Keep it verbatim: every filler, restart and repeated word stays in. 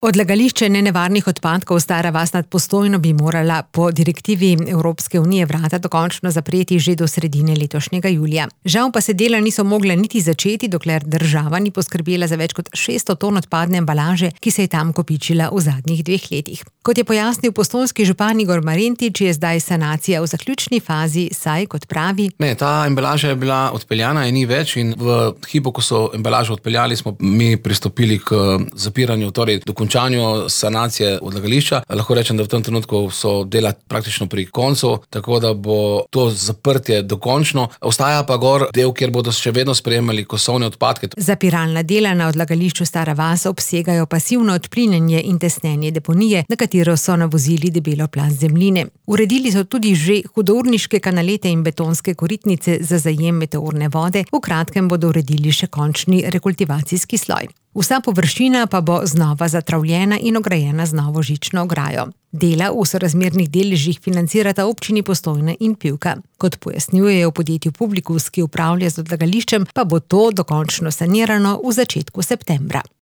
Odlagališče nenevarnih odpadkov Stara vas nad Postojno bi morala po direktivi Evropske unije vrata dokončno zapreti že do sredine letošnjega julija. Žal pa se dela niso mogla niti začeti, dokler država ni poskrbela za več kot šeststo ton odpadne embalaže, ki se je tam kopičila v zadnjih dveh letih. Kot je pojasnil postojnski župan Igor Marentič, je zdaj sanacija v zaključni fazi, saj, kot pravi, Ne, ta embalaža je bila odpeljana in ni več in v hipu, ko so embalažo odpeljali, smo mi pristopili k zapiranju, torej dokončanju sanacije odlagališča. Lahko rečem, da v tem trenutku so dela praktično pri koncu, tako da bo to zaprtje dokončno. Ostaja pa gor del, kjer bodo še vedno sprejemali kosovne odpadke. Zapiralna dela na odlagališču Stara vas obsegajo pasivno odplinjenje in tesnenje deponije, na katero so navozili debelo plast zemljine. Uredili so tudi že hudourniške kanalete in betonske koritnice za zajem meteorne vode, v kratkem bodo uredili še končni rekultivacijski sloj. Vsa površina pa bo znova zatravljena in ograjena z novo žično ograjo. Dela v sorazmernih deležih financirata občini Postojna in Pivka. Kot pojasnjujejo v podjetju Publikus, ki upravlja z odlagališčem, pa bo to dokončno sanirano v začetku septembra.